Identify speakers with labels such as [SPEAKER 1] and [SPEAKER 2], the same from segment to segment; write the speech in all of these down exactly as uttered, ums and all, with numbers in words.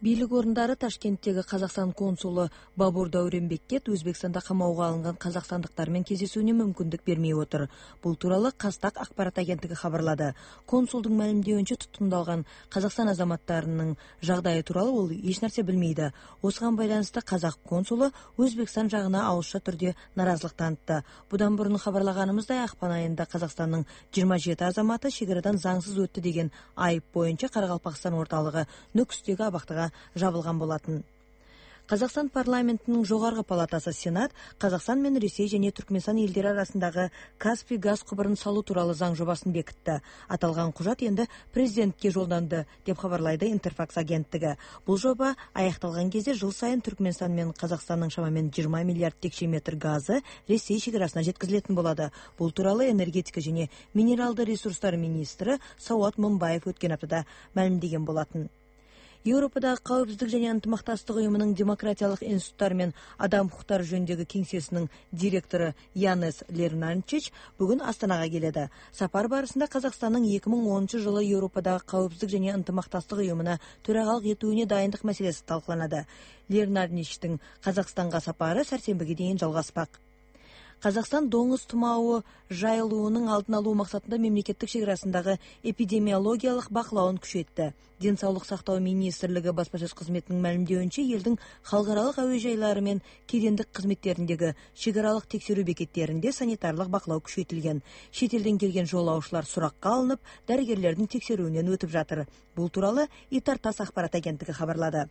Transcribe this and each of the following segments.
[SPEAKER 1] Бийлик орундары Ташкенттеги Казакстан консулу Бабур Дауренбекке Өзбекстанда камауга алынган казакстандыктар менен кездесүүнү мүмкүндүк бермей отур. Бул тууралуу Казтак акпарат агенттиги кабарлады. Консулдун маалимдеуинче, туткундалган Казакстан азаматтарынын жагдайы тууралуу ол эч нерсе билмейди. Осуга байланыштуу казак консулу Өзбекстан жагына ауызча түрдө наразылык таанытты. Будан мурун кабарлаганыбыздай, акпан айында Казакстандын жыйырма жети азаматы чек арадан заңсыз өттү деген айып боюнча Каракалпакстан орталыгы Нөкүстөгү абактыга жабылган болатын. Казакстан парламентинин жогорку палатасы Сенат Казакстан менен Ресей жана Түркмөнстан элдери арасындагы Каспий газ кубурун салуу тууралуу заң жобасын бекитти. Аталган кужат энди президентке жолдонду, деп кабарлайды Интерфакс агенттиги. Бул жоба аякталган кезде жыл сайын Түркмөнстан менен Казакстандын шамамен жыйырма миллиард текше метр газы Ресей чек арасына жеткизилетін болот. Бул тууралуу энергетика жана минералдуу ресурстар министри Сауат Мунбаев өткөн аптада маалимдеген болатын. Европадагы Коопсуздук жана ынтымакташтык уюмунун демократиялык институттары менен адам укуктары жөнүндөгү кеңсесинин директору Янес Лернанчич бүгүн Астанага келди. Сапар барысында Казакстандын эки миң онунчу жылы Европадагы Коопсуздук жана ынтымакташтык уюмуна төрагалык этүүнү дайындык маселеси талкууланды. Лернанчичтин Казакстанга сапары сарсембиге чейин жалгаспак. Казакстан доңуз тумаабы жайылуунун алдын алуу максатында мемлекеттик чек арасындагы эпидемиологиялык бакылауун күчөттү. Ден соолук сактоо министрлиги баспасөз кызметинин маалимдеуинче, элдин халкаралык аба жайлары менен кедендик кызметтериндеги чек аралык текшерүү бекеттеринде санитарлык бакылоо күчөтүлгөн. Чет элден келген жоолоочулар суракка алынып, дарыгерлердин текшерүүнөн өтүп жатыр. Бул тууралуу Итар-Тасс акпарат агенттиги кабарлады.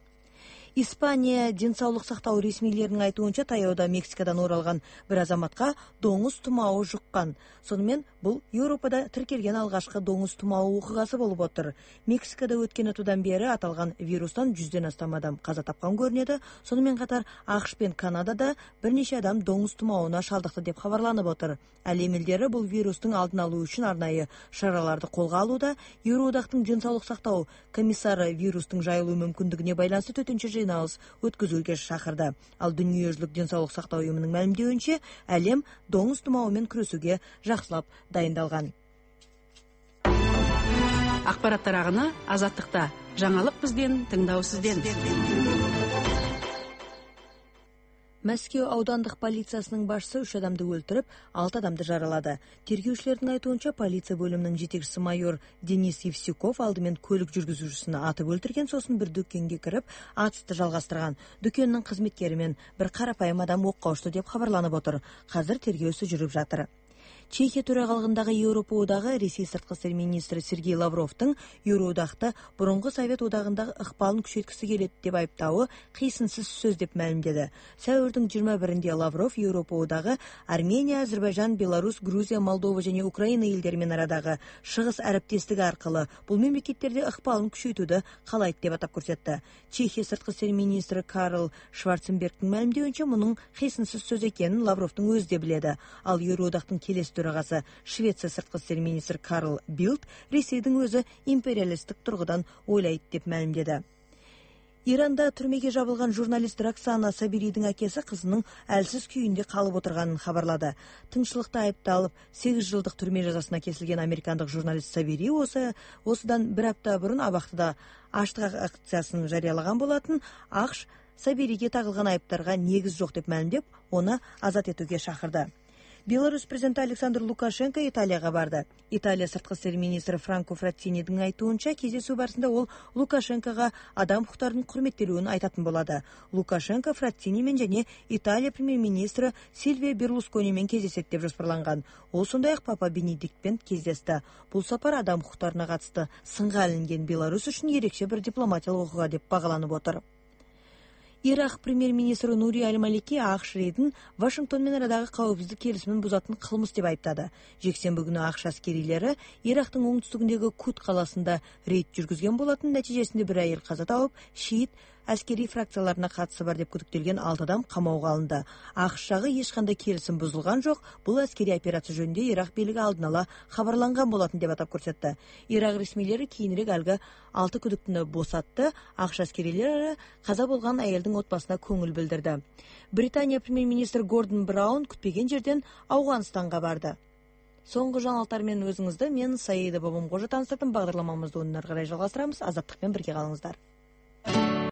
[SPEAKER 1] Испания ден соолук сактоо ресмийлеринин айтуунча, таяуда Мексикадан оралган бир азаматка доңуз тумаабы жуккан. Сонун бул Европада тиркелген алгачкы доңуз тумаабы окугасы болуп отур. Мексикада өткөн аптадан бери аталган вирустан жүздөн астам адам каза тапкан көрүнөдү. Сону менен катар АКШ пен Канадада бир нече адам доңуз тумаабына шалдыкты деп кабарланып отур. Ал эмелдери бул вирустун алдын алуу үчүн арнайы чараларды колго алууда. Евроодактын ден соолук сактоо комиссары вирустун жайылуу мүмкүндүгүнө байланыштуу төтөнчө жыйналыш өткөзүүгө чакырды. Ал Дүнүйө жүзүлүк ден соолук сактоо уюмунун маалимдеуинче, әлем доңуз тумаабы менен күрөшүүгө жакшылап дайындалган.
[SPEAKER 2] Акпарат тараганы Азаттыкта. Жаңылык бизден, тыңдоо сизден.
[SPEAKER 1] Мәскеу аудандык полициясынын башчысы үч адамды өлтүрүп, алты адамды жаралады. Тергөөчүлөрдүн айтуунча, полиция бөлүмүнүн жетекчиси майор Денис Евсюков алдымен көлүк жүргүзүүчүсүн атып өлтүргөн, сосын бир дүкөнгө кирип, атышты жалгастырган. Дүкөндүн кызметкери менен бир карапайым адам окко учту деп кабарланып отур. Азыр тергөөсү жүрүп жатыр. Чехия төрагалыгындагы Европа одагы Ресей сырткы иштер министри Сергей Лавровдун Евроодакты бурунку Совет одагындагы ыкпалын күчөткүсү келет деп айыптабы кыйсынсыз сөз деп маалимдеди. Сәүрдүн жыйырма биринде Лавров Европа одагы Армения, Азербайжан, Беларусь, Грузия, Молдова жана Украина элдери менен арадагы чыгыс ариптештиги аркылы бул мемлекеттерде ыкпалын күчөйтүүдү каалайт деп атап көрсөттү. Чехия сырткы иштер министри Карл Шварценбергдин маалимдеуинче, мунун кыйсынсыз сөз экенин Лавровдун өзү да биледи. Ал Евроодактын келесі төрагасы Швеция сырткы иштер министри Карл Билд Ресейдин өзү империалисттик тургудан ойлойт деп маалимдеди. Иранда түрмөгө жабылган журналист Роксана Сабиридин акеси кызынын әлсиз күйүндө калып отурганын кабарлады. Тынччылыкта айыпталып, сегиз жылдык түрмө жазасына кесилген американдык журналист Сабири осы осудан бир апта бурун абактыда аштык акциясын жарыялаган болатын. АКШ Сабириге тагылган айыптарга негиз жок деп маалимдеп, оны азат этүүгө чакырды. Беларусь президенти Александр Лукашенко Италияга барды. Италия сырткы иштер министри Франко Фраттинидин айтуунча, кездесүү барысында ол Лукашенкого адам укуктарынын құрметтелүүнү айтатын болады. Лукашенко Фраттини менен жана Италия премьер-министри Сильвио Берлускони менен кездесет деп жоспарланган. Ол сондай-ак Папа Бенедиктпен кездешти. Бул сапар адам укуктарына катысты сынга илинген Беларусь үчүн ерекше бир дипломатиялык окуга деп багаланып отур. Ирак премьер-министри Нури Аль-Малики АКШ Вашингтон менен арадагы коопсуздук келишимин бузатын кылмыш деп айыптады. Жексенби күнү АКШ аскерилери Ирактын оңтүстүгүндөгү Кут каласында рейд жүргүзгөн болатын. Нәтижесинде бир айыл каза тауып, шиит аскери фракцияларына катышы бар деп күдүктөлгөн алты адам камауга алынды. АКШ жагы эч кандай келишим бузулган жок. Бул аскери операция жөнүндө Ирак бийлиги алдын ала кабарланган болатын деп атап көрсөттү. Ирак ресмийлери кийинирээк алга алты күдүктүнү босатты. АКШ аскерилери каза болгон айылдын отбасына көңүл билдирди. Британия премьер-министри Гордон Браун күтпеген жерден Ауганстанга барды. Соңку жаңалыктар менен өзүңүздү мен Саида Бабамкожо таныстырдым. Багдарламамызды одан ары карай жалгастырабыз. Азаттык менен бирге калыңыздар.